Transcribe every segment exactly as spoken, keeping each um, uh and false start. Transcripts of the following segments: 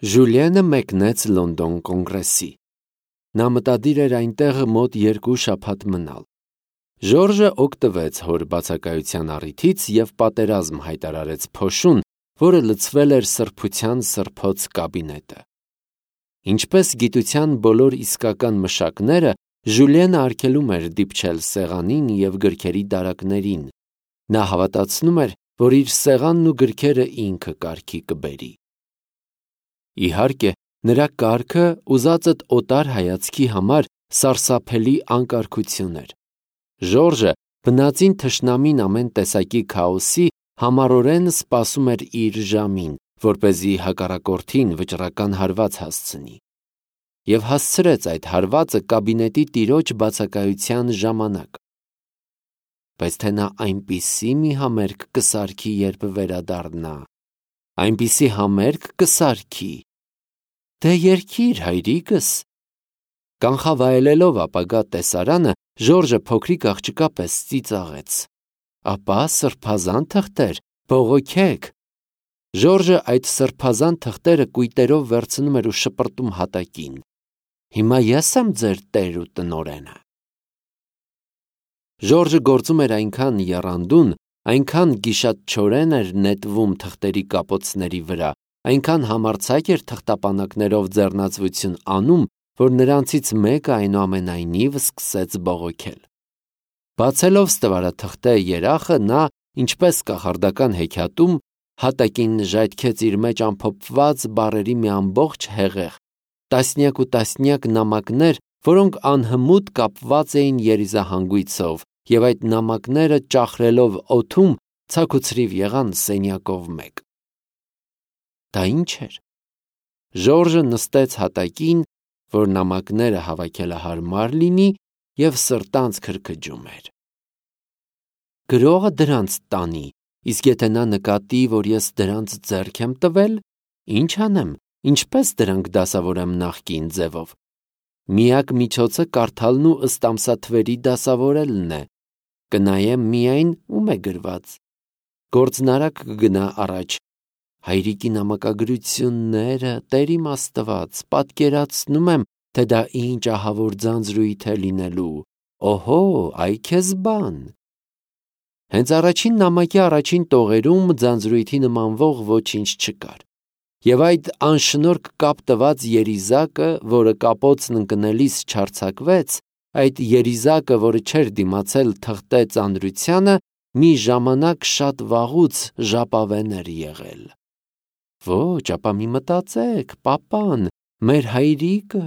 Ժուլիենը մեկնեց Լոնդոն կոնգրեսի։ Նա մտադիր էր այնտեղ մոտ երկու շաբաթ մնալ։ Ժորժը օգտվեց հոր բացակայության առիթից և պատերազմ հայտարարեց փոշուն, որը լցվել էր սրբության սրբոց կաբինետը։ Ինչպես գիտության բոլոր իսկական մշակները, Ժուլիենը արգելում էր դիպչել սեղանին և գրքերի դարակներին։ Նա հավատացնում էր, որ իր սեղանն ու գրքերը ինքը կարգի կբերի։ Իհարկե, նրա կարգը ուզածդ օտար հայացքի համար սարսափելի անկարգություն էր։ Ժորժը բնածին թշնամին ամեն տեսակի քաոսի համառորեն սպասում էր իր ժամին, որպեսզի հակառակորդին վճռական հարված հասցնի։ Եվ հասցրեց այդ հարվածը կաբինետի տիրոջ բացակայության ժամանակ։ Բայց թե նա այնպիսի մի համերգ կսարքի, երբ վերադառնա, այնպիսի համերգ կսարքի, դե երգիր, հայրիկս։ Կանխավայելելով ապագա տեսարանը, Ժորժը փոքրիկ աղջկա պես ծիծաղեց։ Ապա սրբազան թղթեր, բողոքեք։ Ժորժը այդ սրբազան թղթերը կույտերով վերցնում էր ու շպրտում հատակին։ Հիմա ես եմ ձեր տեր ու տնօրենը։ Ժորժը գործում էր այնքան եռանդուն, այնքան գիշատչորեն էր նետվում թղթերի կապոցների վրա, այնքան համարձակ էր թղթապանակներով ձեռնացություն անում, որ նրանցից մեկը այնուամենայնիվ սկսեց բողոքել։ Բացելով ստվարաթղթե երախը, նա, ինչպես կախարդական հեքիաթում, հատակին ժայթքեց իր մեջ ամփոփված բառերի մի ամբողջ հեղեղ, տասնյակ ու տասնյակ նամակներ, որոնք անհմուտ կապված էին երիզահանգույցով, և այդ նամակները ճախրելով օդում ցաքուցրիվ եղան սենյակով մեկ։ Դա ի՞նչ էր։ Ժորժը նստեց հատակին, որ նամակները հավաքելը հարմար լինի, և սրտանց քրքջում էր։ Գրողը դրանց տանի, իսկ եթե նա նկատի, որ ես դրանց ձեռք եմ տվել, ինչ անեմ, ինչպես դրանք դասավորեմ նախկին ձևով։ Միակ միջոցը կարդալն ու ըստ ամսաթվերի դասավորելն է։ Կնայեմ միայն ում է գրված։ Գործնարակ կգնա առաջ։ Հայրիկի նամակագրությունները, Տեր իմ Աստված, պատկերացնում եմ, թե դա ինչ ահավոր ձանձրույթ է լինելու։ Օհո, այ քեզ բան։ Հենց առաջին նամակի առաջին տողերում ձանձրույթի նմանվող ոչինչ չկար։ Եվ այդ անշնորհք կապ տված երիզակը, որը կապոցն ընկնելիս չարձակվեց, այդ երիզակը, որը չէր դիմացել թղթե ծանրությանը, մի ժամանակ շատ վաղուց ժապավեն էր եղել։ Ոչ, ապա մի մտածեք, պապան, մեր հայրիկը։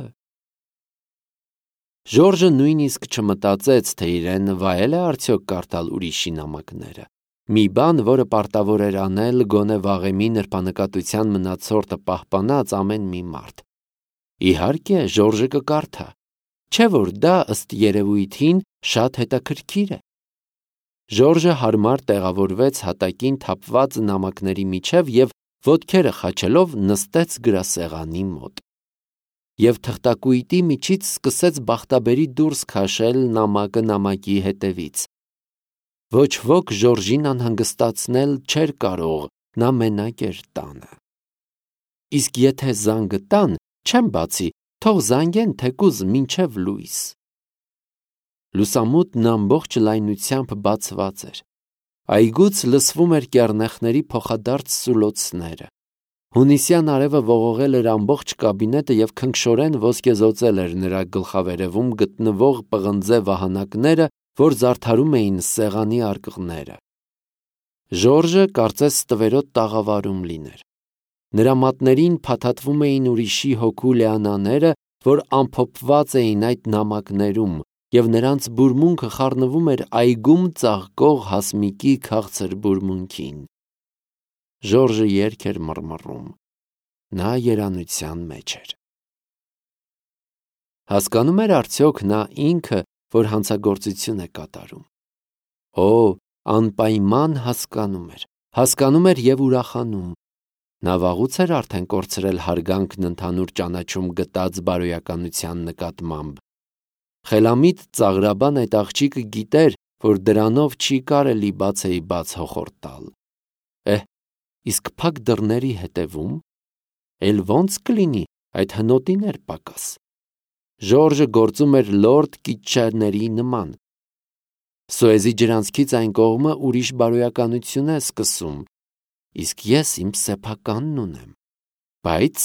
Ժորժը նույնիսկ չմտածեց, թե իրեն վայել է արդյոք կարդալ ուրիշի նամակները։ Մի բան, որը պարտավոր էր անել գոնե վաղեմի նրբանկատության մնացորդը պահպանած ամեն մի մարդ։ Իհարկե, Ժորժը կկարդա, չէ՞ որ դա ըստ երևույթին շատ հետաքրքիր է։ Ժորժը հարմար տեղավորվեց հատակին թափված նամակների միջև և ոտքերը խաչելով նստեց գրասեղանի մոտ։ Եվ թղթակույտի միջից սկսեց բախտաբերի դուրս քաշել նամակը նամակի հետևից։ Ոչ ոք Ժորժին անհանգստացնել չէր կարող, նա մենակ էր տանը։ Իսկ եթե զանգը տան, չեմ բացի, թող զանգեն թեկուզ մինչև լույս։ Լուսամուտն ամբողջ լայնությամբ բացված էր։ Այգուց լսվում էր կեռնեխների փոխադարձ սուլոցները։ Հունիսյան արևը ողողել էր ամբողջ կաբինետը և քնքշորեն ոսկեզօծել էր նրա գլխավերևում գտնվող պղնձե վահանակները, որ զարդարում էին սեղանի արկղները։ Ժորժը կարծես ստվերոտ տաղավարում լիներ։ Նրա մատներին փաթաթվում էին ուրիշի հոգու լեանաները, որ ամփոփված էին այդ նամակներում, և նրանց բուրմունքը խառնվում էր այգում ծաղկող հասմիկի քաղցր բուրմունքին։ Ժորժը երգ էր մռմռում։ Նա երանության մեջ էր։ Հասկանում էր արդյոք նա ինքը, որ հանցագործություն է կատարում։ Օ, անպայման հասկանում էր, հասկանում էր և ուրախանում։ Նա վաղուց էր արդեն կորցրել հարգանքն ընդհանուր ճանաչում գտած բարոյականության նկատմամբ։ Խելամիտ ծաղրաբան այդ աղջիկը գիտեր, որ դրանով չի կարելի բացեի բաց հոխորտ տալ։ Էհ, իսկ փակ դռների հետևում։ էլ ոնց կլինի այդ հնոտիներ պակաս։ Ժորժը գործում էր լորդ կիչչերների նման։ Սոեզի ջրանցքից այն կողմը ուրիշ բարոյականություն է սկսում, իսկ ես իմ սեփականն ունեմ։ Բայց,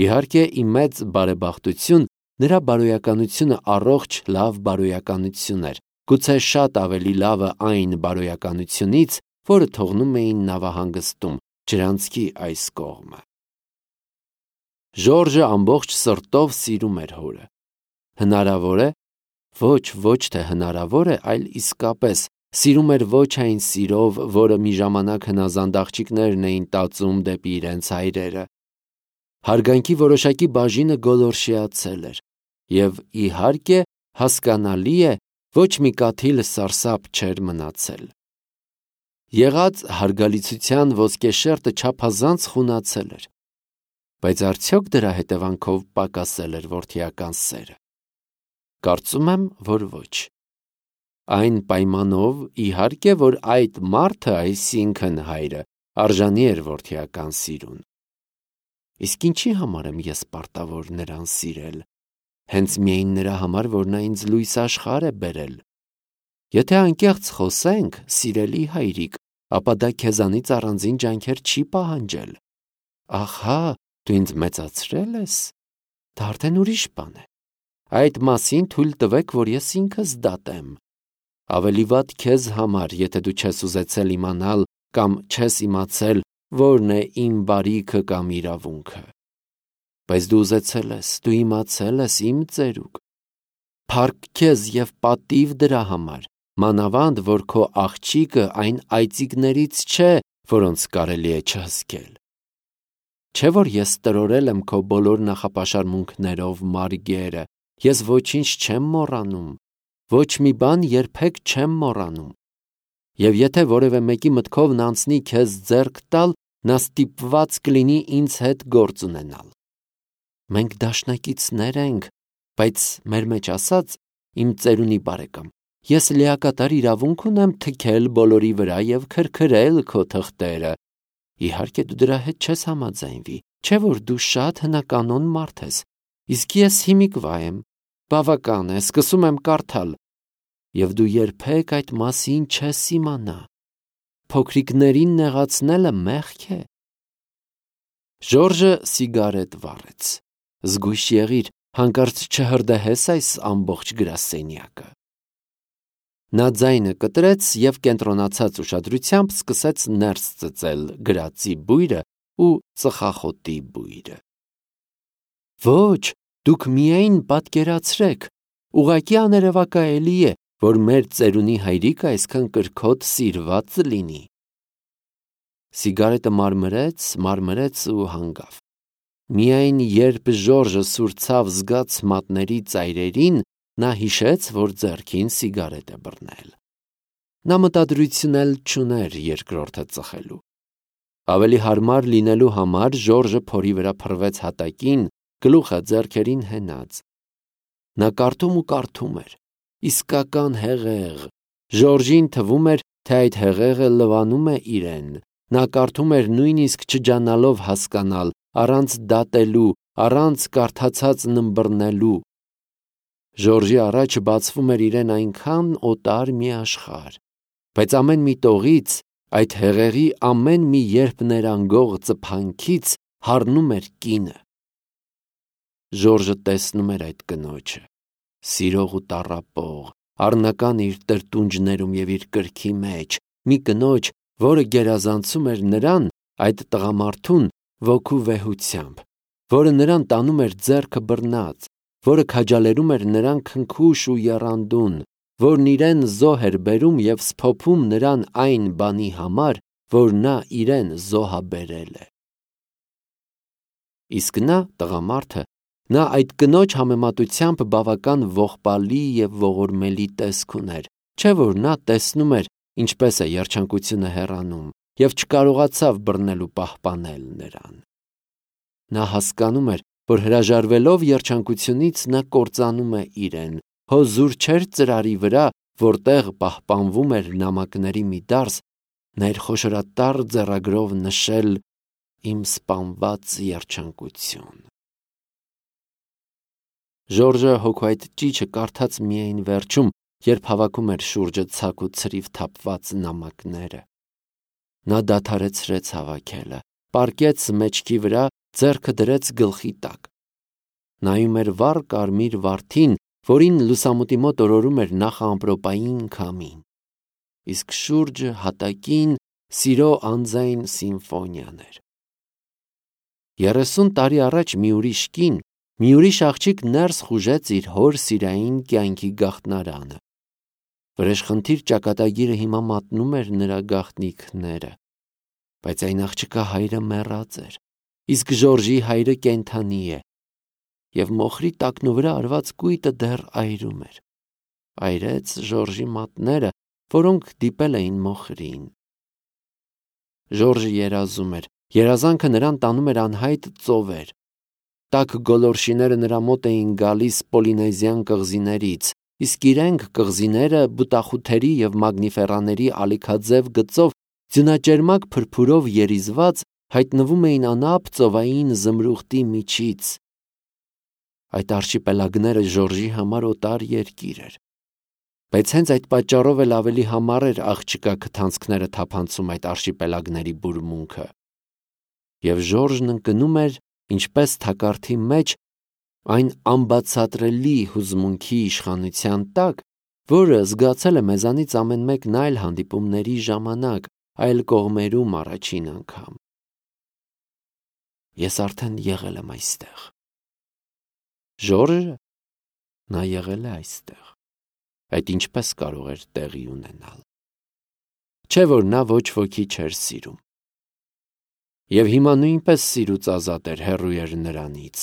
իհարկե, իմ մեծ բարեբախտություն, նրա բարոյականությունը առողջ լավ բարոյականություն էր, գուցե շատ ավելի լավը այն բարոյականությունից, որը թողնում էին նավահանգստում, ջրանցքի այս կողմը։ Ժորժը ամբողջ սրտով սիրում էր հորը։ Հնարավոր է, ոչ, ոչ թե հնարավոր է, այլ իսկապես սիրում էր ոչ այն սիրով, որը մի ժամանակ հնազանդ աղջիկներն էին տածում դեպի իրենց հայրերը։ Հարգանքի որոշակի բաժինը գոլորշիացել էր, և իհարկե հասկանալի է, ոչ մի կաթիլ սարսափ չէր մնացել։ Եղած հարգալիցության ոսկեշերտը չափազանց խունացել էր, բայց արդյոք դրա հետևանքով պակասել էր որդիական սերը։ Կարծում եմ, որ ոչ։ Այն պայմանով, իհարկե, որ այդ մարդը, այսինքն հայրը, արժանի էր որդիական սիրուն։ Իսկ ինչի համար եմ ես պարտավոր նրան սիրել, հենց միայն նրա համար, որ նա ինձ լույս աշխարհ է բերել։ Եթե անկեղծ խոսենք, սիրելի հայրիկ, ապա դա քեզանից առանձին ջանքեր չի պահանջել։ Ահա, դու ինձ մեծացրել ես, դա արդեն ուրիշ բան է։ Այդ մասին թույլ տվեք, որ ես ինքս դատեմ։ Ավելի վատ քեզ համար, եթե դու չես ուզեցել իմանալ կամ չես իմացել, որն է իմ բարիքը կամ իրավունքը։ Բայց դու ուզեցել ես, դու իմացել ես, իմ ծերուկ։ Փառք քեզ և պատիվ դրա համար, մանավանդ, որ քո աղջիկը այն այծիկներից չէ, որոնց կարելի է չհսկել։ Չէ՞ որ ես տրորել եմ քո բոլոր նախապաշարմունքներով մարգերը, ես ոչինչ չեմ մոռանում, ոչ մի բան երբեք չեմ մոռանում։ Եվ եթե որևէ մեկի մտքով անցնի քեզ ձեռք տալ, նա ստիպված կլինի ինձ հետ գործ ունենալ։ Մենք դաշնակիցներ ենք, բայց մեր մեջ ասած, իմ ծերունի բարեկամ, ես լիակատար իրավունք ունեմ թքել բոլորի վրա և քրքրել քո թղթերը։ Իհարկե դու դրա հետ չես համաձայնվի, չէ՞ որ դու շատ հնականոն մարդ ես, իսկ ես հիմիկվա եմ, բավական է, սկսում եմ կարդալ, և դու երբեք այդ մասին չես իմանա։ Փոքրիկներին նեղացնելը մեղք է։ Ժորժը սիգարետ վառեց։ Զգույշ եղիր, հանկարծ չհրդեհես այս ամբողջ գրասենյակը։ Նա ձայնը կտրեց և կենտրոնացած ուշադրությամբ սկսեց ներս ծծել գրածի բույրը ու ծխախոտի բույրը։ Ոչ, դուք միայն պատկերացրեք, ուղղակի աներևակայելի է, որ մեր ծերունի հայրիկը այսքան կրքոտ սիրված լինի։ Սիգարետը մարմրեց, մարմրեց ու հանգավ։ Միայն երբ Ժորժը սուրցավ զգաց մատների ծայրերին, նա հիշեց, որ ձեռքին սիգարետ է բռնել։ Նա մտադրություն էլ չուներ երկրորդը ծխելու։ Ավելի հարմար լինելու համար Ժորժը փորի վրա փռվեց հատակին, գլուխը ձեռքերին հենած։ Նա կարդում ու կարդում էր։ Իսկական հեղեղ։ Ժորժին թվում էր, թե այդ հեղեղը լվանում է իրեն։ Նա կարդում էր նույնիսկ չջանալով հասկանալ, առանց դատելու, առանց կարդացածն ըմբռնելու։ Ժորժի առաջ բացվում էր իրեն այնքան օտար մի աշխարհ, բայց ամեն մի տողից, այդ հեղեղի ամեն մի երբ ներանգող ծփանքից հառնում էր կինը։ Ժորժը տեսնում էր այդ կնոջը, սիրող ու տառապող, առնական իր տրտունջներում և իր կրքի մեջ, մի կնոջ, որը գերազանցում էր նրան, այդ տղամարդուն, ոգու վեհությամբ, որը նրան տանում էր ձեռքը բռնած, որը քաջալերում էր նրան քնքուշ ու եռանդուն, որն իրեն զոհ էր բերում և սփոփում նրան այն բանի համար, որ նա իրեն զոհաբերել է։ Իսկ նա, տղամարդը, նա այդ կնոջ համեմատությամբ բավական ողբալի և ողորմելի տեսք ուներ, չէ՞ որ նա տեսնում էր, ինչպես է երջանկությունը հեռանում, և չկարողացավ բռնել ու պահպանել նրան։ Նա հասկանում էր, որ հրաժարվելով երջանկությունից նա կործանում է իրեն, հո զուր չէր ծրարի վրա, որտեղ պահպանվում էր նամակների մի դարս, նա իր խոշորատառ ձեռագրով նշել իմ սպանված երջանկություն։ Ժորժը հոգու այդ ճիչը կարդաց միայն վերջում, երբ հավաքում էր շուրջը ցակ ու ցրիվ թափված նամակները։ Նա դադարեցրեց հավաքելը, պառկեց մեջքի վրա, ձեռքը դրեց գլխի տակ։ Նայում էր վառ կարմիր վարդին, որին լուսամուտի մոտ օրորում էր նախամպրոպային քամին, իսկ շուրջը հատակին սիրո անձայն սիմֆոնիան էր։ Երեսուն տարի առաջ մի ուրիշ կին, մի ուրիշ աղջիկ ներս խուժեց իր հոր սիրային կյանքի գաղտնարանը։ Վրեժխնդիր ճակատագիրը հիմա մատնում էր նրա գաղտնիքները, բայց այն աղջկա հայրը մեռած էր, իսկ Ժորժի հայրը կենդանի է, և մոխրի տակնու վրա արված կույտը դեռ այրում էր։ Այրեց Ժորժի մատները, որոնք դիպել էին մոխրին։ Ժորժը երազում էր, երազանքը նրան տանում էր անհայտ ծովեր։ Տաք գոլորշիները նրա մոտ էին գալիս Պոլինեզիան կղզիներից, իսկ իրենք կղզիները բուտախութերի և մագնիֆերաների ալիքաձև գծով ձյունաճերմակ փրփուրով երիզված հայտնվում էին անապ ծովային զմրուխտի միջից։ Այդ արշիպելագները Ժորժի համար օտար երկիր էր, բայց հենց այդ պատճառով էլ ավելի համառ էր աղջկա քթանցքները թափանցում այդ արշիպելագների բուրմունքը։ Եվ Ժորժն ընկնում էր, ինչպես թակարդի մեջ, այն անբացատրելի հուզմունքի իշխանության տակ, որը զգացել է մեզանից ամեն մեկն այլ հանդիպումների ժամանակ, այլ կողմերում առաջին անգամ։ Ես արդեն եղել եմ այստեղ։ Ժորժը, նա եղել է այստեղ։ Այդ ինչպես կարող էր տեղի ունենալ։ Չէ՞ որ նա ոչ ոքի չէր սիրում։ Եվ հիմա նույնպես սիրուց ազատ էր, հեռու էր նրանից,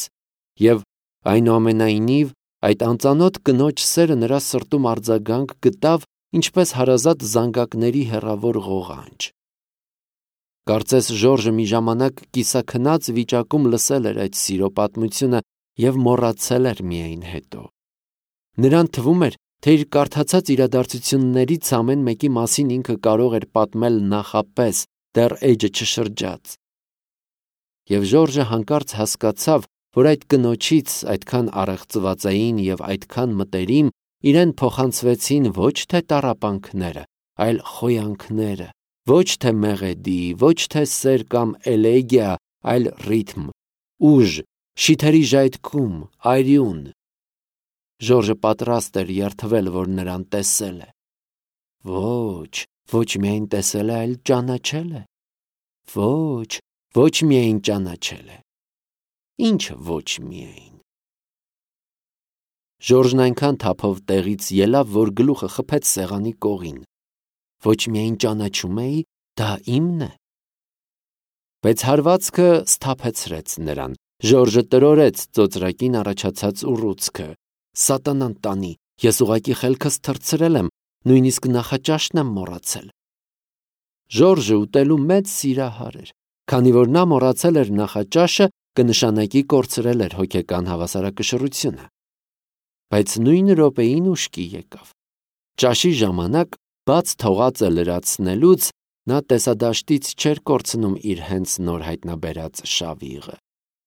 և այնուամենայնիվ այդ անծանոթ կնոջ սերը նրա սրտում արձագանք գտավ, ինչպես հարազատ զանգակների հեռավոր ղողանջ։ Կարծես Ժորժը մի ժամանակ կիսաքնած վիճակում լսել էր այդ սիրո պատմությունը և մոռացել էր միայն հետո։ Նրան թվում էր, թե իր կարդացած իրադարձություններից ամեն մեկի մասին ինքը կարող էր պատմել նախապես, դեռ էջը չշրջած։ Եվ Ժորժը հանկարծ հասկացավ, որ այդ կնոջից այդքան առեղծվածային և այդքան մտերիմ իրեն փոխանցվեցին ոչ թե տառապանքները, այլ խոյանքները, ոչ թե մեղեդի, ոչ թե սեր կամ էլեգիա, այլ ռիթմ, ուժ, շիթերի ժայթքում, արյուն։ Ժորժը պատրաստ էր երդվել, որ նրան տեսել է։ Ոչ, ոչ միայն տեսել է, այլ ճանաչել է։ Ոչ, ոչ միայն ճանաչել է։ Ինչ ոչ միայն։ Ժորժն այնքան թափով տեղից ելավ, որ գլուխը խփեց սեղանի կողին։ Ոչ միայն ճանաչում էի, դա իմն է։ Բայց հարվածքը սթափեցրեց նրան։ Ժորժը տրորեց ծոծրակին առաջացած ուռուցքը։ Սատանան տանի, ես ուղղակի խելքս թռցրել եմ, նույնիսկ նախաճաշն եմ մոռացել։ Ժորժը ուտելու մեծ սիրահար էր, քանի որ նա մոռացել էր նախաճաշը, կնշանակի կորցրել էր հոգեկան հավասարակշռությունը։ Բայց նույն րոպեին ուշքի եկավ։ Ճաշի ժամանակ բաց թողածը լրացնելուց նա տեսադաշտից չէր կորցնում իր հենց նոր հայտնաբերած շավիղը։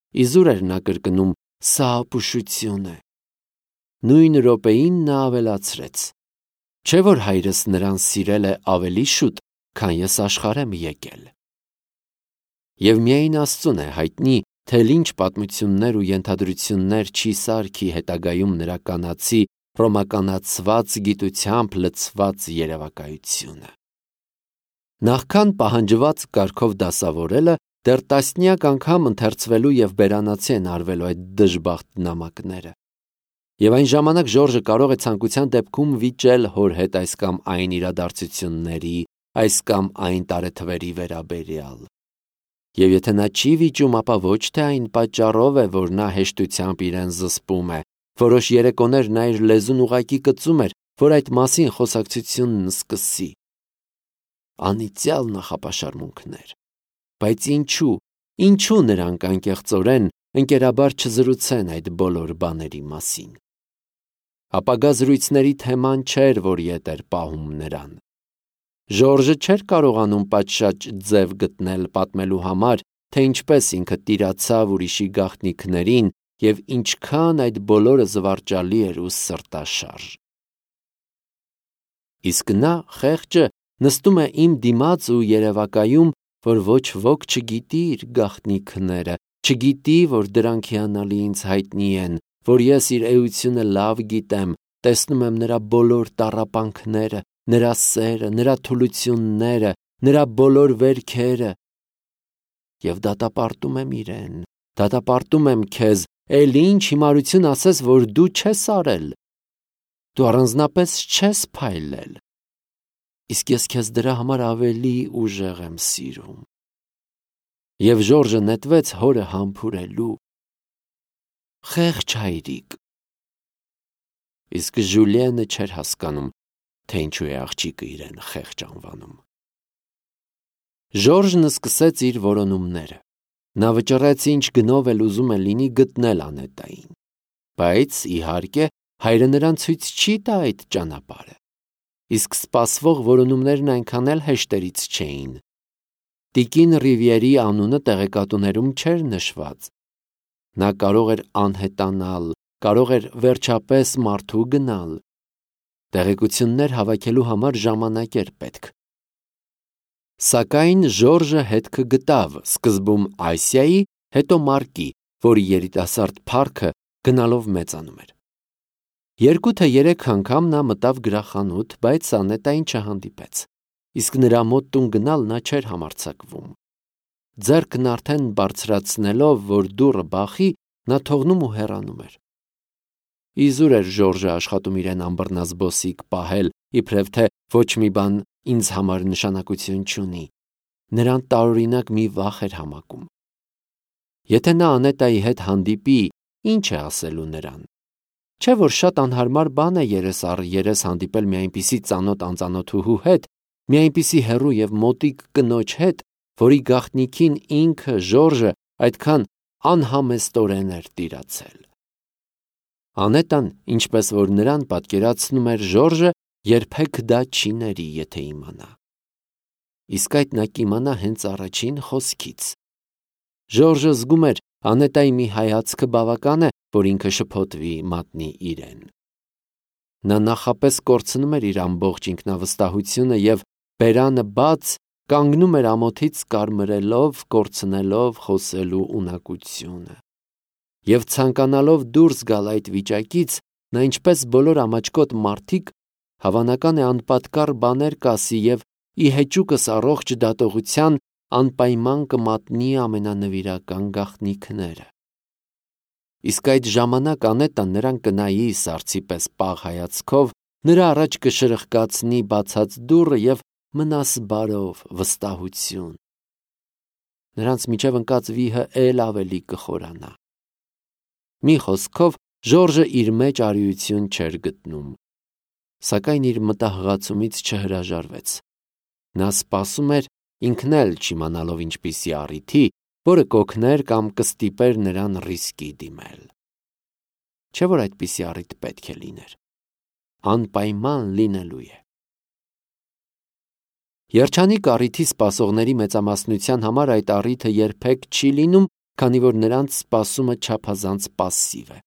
Իզուր էր նա կրկնում. «Սա ապուշություն է»։ Նույն րոպեին նա ավելացրեց. «Չէ՞ որ հայրս նրան սիրել է ավելի շուտ, քան ես աշխարհ եմ եկել»։ Եվ միայն Աստծուն է հայտնի, թե ինչ պատմություններ ու ենթադրություններ չի սարքի հետագայում նրա կանացի, ռոմականացված գիտությամբ լցված երևակայությունը։ Նախքան պահանջված կարգով դասավորելը, դեռ տասնյակ անգամ ընթերցվելու և բերանացի են արվելու այդ դժբախտ նամակները։ Եվ այն ժամանակ Ժորժը կարող է ցանկության դեպքում վիճել հոր հետ այս կամ այն իրադարձությունների, այս կամ այն տարեթվերի վերաբերյալ։ Եվ եթե նա չի վիճում, ապա ոչ թե այն պատճառով է, որ նա հեշտությամբ իրեն զսպում է, որոշ երեկոներ նա իր լեզուն ուղղակի կծում էր, որ այդ մասին խոսակցությունն սկսի։ Անիծյալ նախապաշարմունքներ։ Բայց ինչու, ինչու նրանք անկեղծորեն ընկերաբար չզրուցեն այդ բոլոր բաների մասին։ Ապագա զրույցների թեման չէր, որ ետ էր պահում նրան։ Ժորժը չէր կարողանում պատշաճ ձև գտնել պատմելու համար թե ինչպես ինքը տիրացավ ուրիշի գաղտնիքներին և ինչքան այդ բոլորը զվարճալի էր ու սրտաշարժ։ Իսկ նա, խեղճը, նստում է իմ դիմաց ու երևակայում, որ ոչ ոք չգիտի իր գաղտնիքները, չգիտի, որ դրանք հիանալի ինձ հայտնի են, որ ես իր էությունը լավ գիտեմ, տեսնում եմ նրա բոլոր տառապանքները, նրա սերը, նրա թուլությունները, նրա բոլոր վերքերը, և դատապարտում եմ իրեն, դատապարտում եմ քեզ, էլ ինչ հիմարություն ասես, որ դու չես արել, դու առանձնապես չես փայլել, իսկ ես քեզ դրա համար ավելի ուժեղ եմ սիրում։ Եվ Ժորժը նետվեց հորը համբուրելու։ Խեղճ հայրիկ։ Իսկ Ժուլիենը չէր հասկանում, թե ինչու է աղջիկը իրեն խեղճ անվանում։ Ժորժն սկսեց իր որոնումները։ Նա վճռեց ինչ գնով էլ ուզում է լինի գտնել Անետային։ Բայց, իհարկե, հայրը նրան ցույց չի տա այդ ճանապարհը։ Իսկ սպասվող որոնումներն այնքան էլ հեշտերից չէին։ Տիկին Ռիվիերի անունը տեղեկատուներում չէր նշված։ Նա կարող էր անհետանալ, կարող էր վերջապես մարդու գնալ։ Տեղեկություններ հավաքելու համար ժամանակ էր պետք։ Սակայն Ժորժը հետքը գտավ սկզբում Ասիայի, հետո Մարկի, որի երիտասարդ փառքը գնալով մեծանում էր։ Երկու թե երեք անգամ նա մտավ գրախանութ, բայց Անետային չհանդիպեց, իսկ նրա մոտ տուն գնալ նա չէր համարձակվում։ Ձեռքն արդեն բարձրացնելով, որ դուռը բախի, նա թողնում ու հեռանում էր։ Իզուր էր Ժորժը աշխատում իրեն անբռնազբոսիկ պահել, իբրև թե ոչ մի բան ինձ համար նշանակություն չունի։ Նրան տարօրինակ մի վախ էր համակում։ Եթե նա Անետայի հետ հանդիպի, ինչ է ասելու նրան։ Չէ՞ որ շատ անհարմար բան է երես առ երես հանդիպել մի այնպիսի ծանոթ անծանոթուհու հետ, մի այնպիսի հեռու և մոտիկ կնոջ հետ, որի գաղտնիքին ինքը Ժորժը այդքան անհամեստորեն էր տիրացել։ Անետան, ինչպես որ նրան պատկերացնում էր Ժորժը, երբեք դա չի ների, եթե իմանա։ Իսկ այդ նա կիմանա հենց առաջին խոսքից։ Ժորժը զգում էր Անետայի մի հայացքը բավական է, որ ինքը շփոթվի, մատնի իրեն։ Նա նախապես կորցնում էր իր ամբողջ ինքնավստահությունը և բերանը բաց կանգնում էր ամոթից կարմրելով, կորցնելով խոսելու ունակությունը։ Եվ ցանկանալով դուրս գալ այդ վիճակից, նա ինչպես բոլոր ամաչկոտ մարդիկ, հավանական է անպատկառ բաներ կասի և ի հեճուկս առողջ դատողության անպայման կմատնի ամենանվիրական գաղտնիքները։ Իսկ այդ ժամանակ Անետան նրան կնայի սառցի պես պաղ հայացքով, նրա առաջ կշրխկացնի բացած դուռը և մնաս բարով, վստահություն։ Նրանց միջև ընկած վիհը էլ ավելի կխորանա։ Մի խոսքով, Ժորժը իր մեջ արիություն չէր գտնում, սակայն իր մտահղացումից չհրաժարվեց։ Նա սպասում էր, ինքն էլ չիմանալով ինչպիսի առիթի, որը կօգներ կամ կստիպեր նրան ռիսկի դիմել։ Չէ՞ որ այդպիսի առիթ պետք է լիներ։ Անպայման լինելու է։ Երջանիկ առիթի սպասողների մեծամասնության համար այդ առիթը երբեք չի լինում, քանի որ նրանց սպասումը չափազանց պասսիվ է։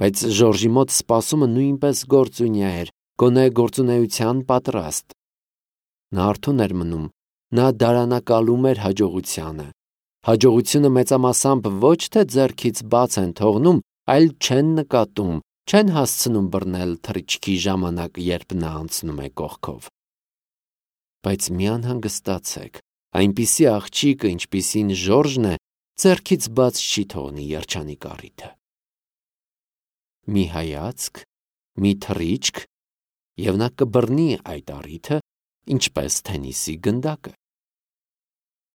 Բայց Ժորժի մոտ սպասումը նույնպես գործունյա էր, գոնե գործունեության պատրաստ։ Նա արթուն էր մնում, նա դարանակալում էր հաջողությանը։ Հաջողությունը մեծամասամբ ոչ թե ձեռքից բաց են թողնում, այլ չեն նկատում, չեն հասցնում բռնել թռիչքի ժամանակ, երբ նա անցնում է կողքով։ Բայց մի անհանգստացեք, այնպիսի աղջիկը, ինչպիսին Ժորժն է, ձեռքից բաց չի թողնի երջանիկ առիթը։ Մի հայացք, մի թռիչք, և նա կբռնի այդ առիթը, ինչպես թենիսի գնդակը։